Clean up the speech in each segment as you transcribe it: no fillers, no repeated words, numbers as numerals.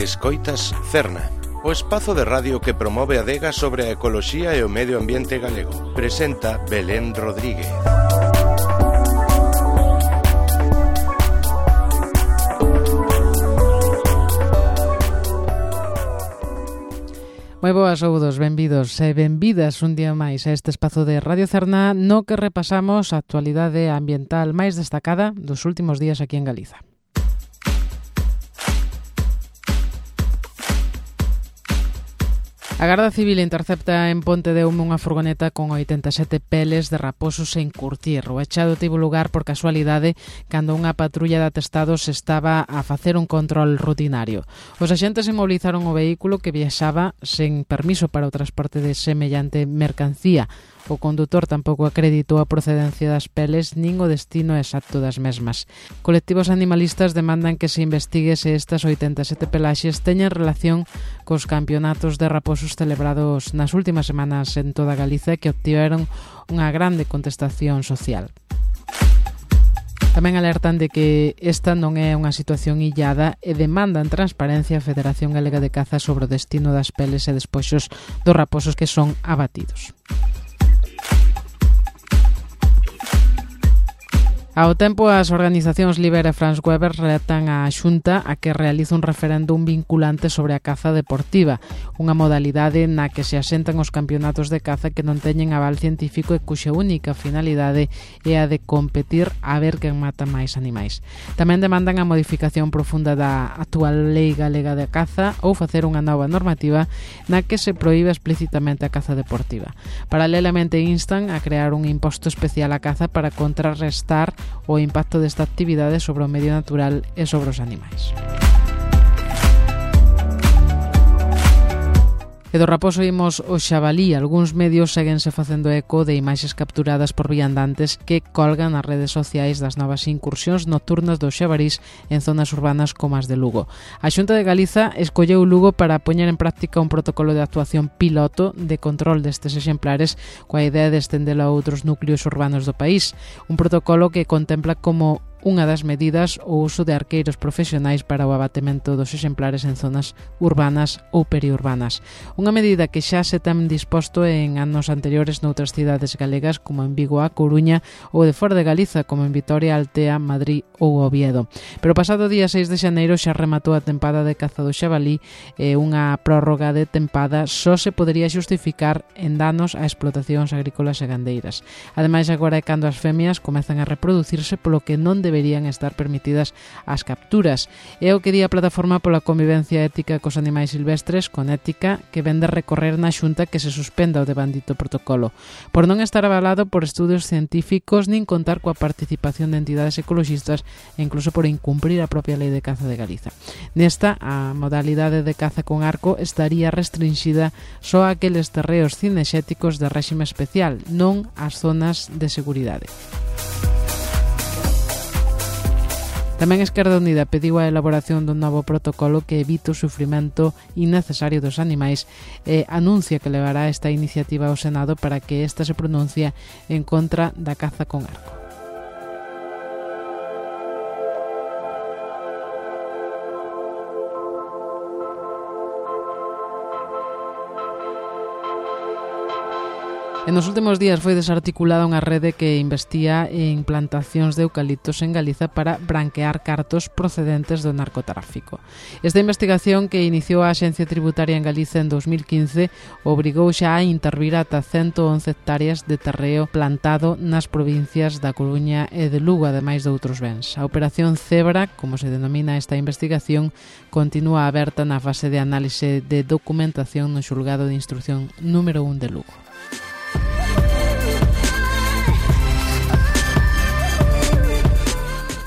Escoitas Cerna, o espazo de radio que promove a adega sobre a ecoloxía e o medio ambiente galego. Presenta Belén Rodríguez. Moi boas, saúdos, benvidos e benvidas un día máis a este espazo de Radio Cerna no que repasamos a actualidade ambiental máis destacada dos últimos días aquí en Galiza. A Garda Civil intercepta en Ponte de Hume unha furgoneta con 87 peles de raposos en curtir. O echado tivo lugar por casualidade cando unha patrulla de atestados estaba a facer un control rutinario. Os axentes inmovilizaron o vehículo que viaxaba sen permiso para o transporte de semellante mercancía. O condutor tampouco acreditou a procedencia das peles nin o destino exacto das mesmas. Colectivos animalistas demandan que se investigue se estas 87 pelaxes teñen relación cos campeonatos de raposos celebrados nas últimas semanas en toda Galiza que obtiveron unha grande contestación social. Tamén alertan de que esta non é unha situación illada e demandan transparencia a Federación Galega de Caza sobre o destino das peles e despoxos dos raposos que son abatidos. Ao tempo, as organizacións Libera e France Weber retan a Xunta a que realice un referéndum vinculante sobre a caza deportiva, unha modalidade na que se asentan os campeonatos de caza que non teñen aval científico e cuxa única finalidade é a de competir a ver quen mata máis animais. Tamén demandan a modificación profunda da actual Lei Galega de Caza ou facer unha nova normativa na que se proíbe explícitamente a caza deportiva. Paralelamente instan a crear un imposto especial á caza para contrarrestar o impacto desta actividade sobre o medio natural e sobre os animais. E do raposo imos o xabalí. Algúns medios séguense facendo eco de imaxes capturadas por viandantes que colgan nas redes sociais das novas incursións nocturnas dos xabarís en zonas urbanas como as de Lugo. A Xunta de Galiza escolleu Lugo para poñer en práctica un protocolo de actuación piloto de control destes exemplares coa idea de estendelo a outros núcleos urbanos do país. Un protocolo que contempla como unha das medidas o uso de arqueiros profesionais para o abatemento dos exemplares en zonas urbanas ou periurbanas. Unha medida que xa se ten disposto en anos anteriores noutras cidades galegas como en Vigo, A Coruña ou de fora de Galiza como en Vitoria, Altea, Madrid ou Oviedo. Pero o pasado día 6 de xaneiro xa rematou a tempada de caza do xabalí e unha prórroga de tempada só se podería xustificar en danos a explotacións agrícolas e gandeiras. Ademais, agora é cando as femias comezan a reproducirse polo que non deberían estar permitidas as capturas. É o que di a Plataforma pola Convivencia Ética cos Animais Silvestres, con ética, que vende recorrer na Xunta que se suspenda o devandito protocolo, por non estar avalado por estudios científicos nin contar coa participación de entidades ecoloxistas e incluso por incumprir a propia Lei de Caza de Galiza. Nesta, a modalidade de caza con arco estaría restringida só a aqueles terreos cinexéticos de réxime especial, non ás zonas de seguridade. Tamén Esquerda Unida pediu a elaboración dun novo protocolo que evite o sufrimento innecesario dos animais e anuncia que levará esta iniciativa ao Senado para que esta se pronuncie en contra da caza con arco. E nos últimos días foi desarticulada unha rede que investia en plantacións de eucaliptos en Galiza para branquear cartos procedentes do narcotráfico. Esta investigación, que iniciou a Axencia Tributaria en Galiza en 2015, obrigou xa a intervir ata 111 hectáreas de terreo plantado nas provincias da Coruña e de Lugo, ademais de outros bens. A Operación Cebra, como se denomina esta investigación, continúa aberta na fase de análise de documentación no xulgado de instrucción número 1 de Lugo.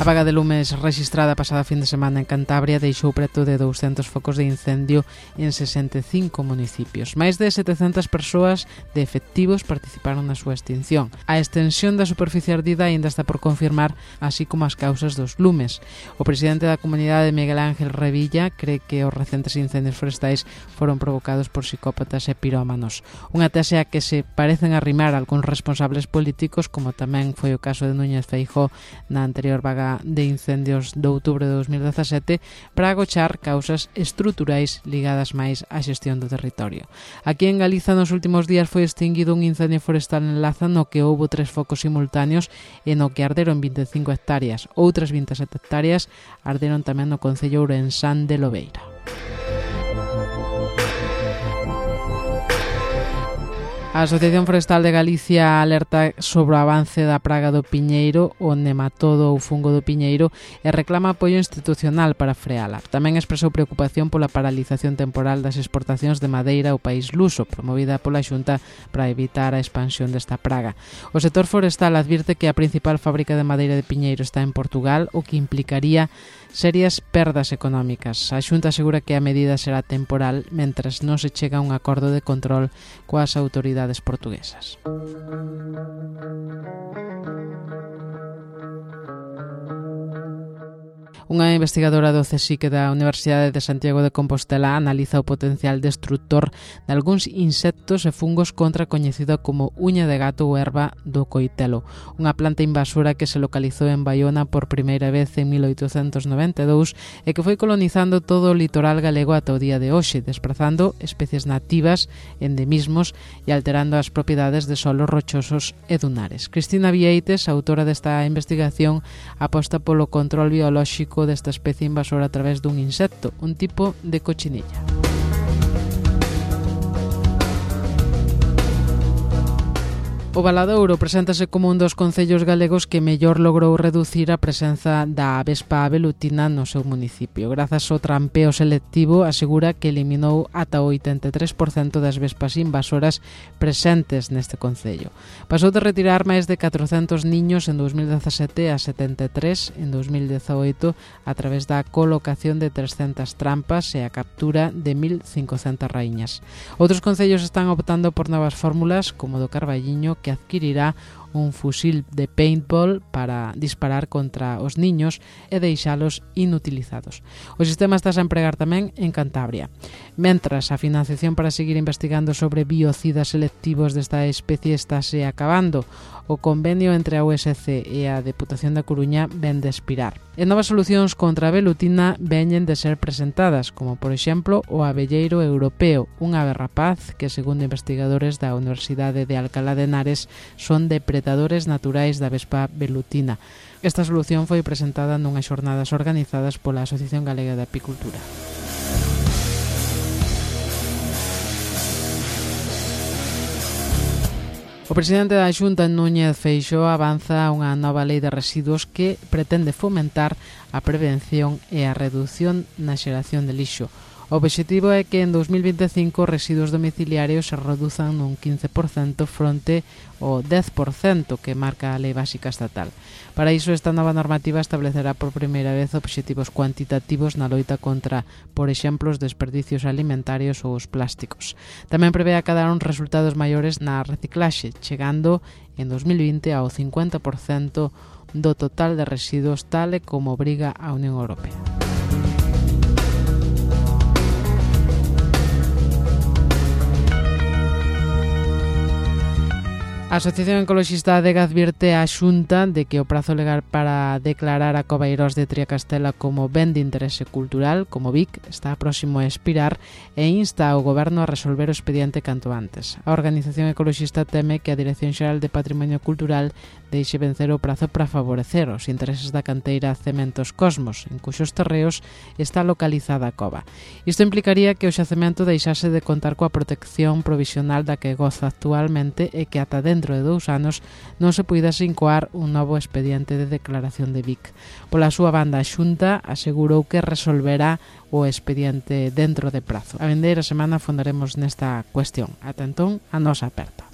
A vaga de lumes rexistrada pasada fin de semana en Cantabria deixou preto de 200 focos de incendio en 65 municipios. Máis de 700 persoas de efectivos participaron na súa extinción. A extensión da superficie ardida aínda está por confirmar, así como as causas dos lumes. O presidente da comunidade, Miguel Ángel Revilla, cree que os recentes incendios forestais foron provocados por psicópatas e pirómanos. Unha tese a que se parecen arrimar algúns responsables políticos, como tamén foi o caso de Núñez Feijóo na anterior vaga alerta de incendios de outubro de 2017 para agochar causas estruturais ligadas máis á xestión do territorio. Aquí en Galiza nos últimos días foi extinguido un incendio forestal en Laza no que houbo 3 focos simultáneos e no que arderon 25 hectáreas. Outras 27 hectáreas arderon tamén no concello ourensán de Lobeira. A Asociación Forestal de Galicia alerta sobre o avance da praga do piñeiro, o nematodo ou fungo do piñeiro, e reclama apoio institucional para freala. Tamén expresou preocupación pola paralización temporal das exportacións de madeira ao país luso, promovida pola Xunta para evitar a expansión desta praga. O sector forestal advirte que a principal fábrica de madeira de piñeiro está en Portugal, o que implicaría serias perdas económicas. A Xunta asegura que a medida será temporal mentres non se chega a un acordo de control coas autoridades portuguesas. Unha investigadora do CSIC da Universidade de Santiago de Compostela analiza o potencial destructor de algúns insectos e fungos contra a coñecida como uña de gato ou erva do coitelo, unha planta invasora que se localizou en Baiona por primeira vez en 1892 e que foi colonizando todo o litoral galego ata o día de hoxe, desprazando especies nativas, endemismos e alterando as propiedades de solos rochosos e dunares. Cristina Vieites, autora desta investigación, aposta polo control biolóxico desta especie invasora a través dun insecto, un tipo de cochinilla. O Valadouro preséntase como un dos concellos galegos que mellor logrou reducir a presenza da avespa velutina no seu municipio. Grazas ao trampeo selectivo, asegura que eliminou ata o 83% das vespas invasoras presentes neste concello. Pasou de retirar máis de 400 niños en 2017 a 73 en 2018 a través da colocación de 300 trampas e a captura de 1.500 raíñas. Outros concellos están optando por novas fórmulas, como do Carballiño, que adquirirá un fusil de paintball para disparar contra os niños e deixalos inutilizados. O sistema está a empregar tamén en Cantabria. Mentras, a financiación para seguir investigando sobre biocidas selectivos desta especie estáse acabando. O convenio entre a USC e a Deputación da Coruña ven de expirar. E novas solucións contra a velutina veñen de ser presentadas, como por exemplo o abelleiro europeo, unha ave rapaz que, segundo investigadores da Universidade de Alcalá de Henares, son depredadores naturais da vespa velutina. Esta solución foi presentada nunhas xornadas organizadas pola Asociación Galega de Apicultura. O presidente da Xunta, Núñez Feixóo, avanza unha nova lei de residuos que pretende fomentar a prevención e a redución na xeración de lixo. O obxectivo é que en 2025 os residuos domiciliarios se reduzan nun 15% fronte ao 10% que marca a Lei Básica Estatal. Para iso, esta nova normativa establecerá por primeira vez obxectivos cuantitativos na loita contra, por exemplo, os desperdicios alimentarios ou os plásticos. Tamén prevé acadar uns resultados maiores na reciclaxe, chegando en 2020 ao 50% do total de residuos, tal e como obriga a Unión Europea. A Asociación Ecoloxista Adega advirte á Xunta de que o prazo legal para declarar a Coveiros de Triacastela como ben de interese cultural, como BIC, está próximo a expirar e insta ao Goberno a resolver o expediente canto antes. A organización ecoloxista teme que a Dirección Xeral de Patrimonio Cultural deixe vencer o prazo para favorecer os intereses da canteira Cementos Cosmos, en cuxos terreos está localizada a cova. Isto implicaría que o xacemento deixase de contar coa protección provisional da que goza actualmente e que ata dentro de 2 anos non se puidase incoar un novo expediente de declaración de BIC. Pola súa banda, a Xunta asegurou que resolverá o expediente dentro de prazo. A vindeira semana fondaremos nesta cuestión. Ata entón, a nosa aperta.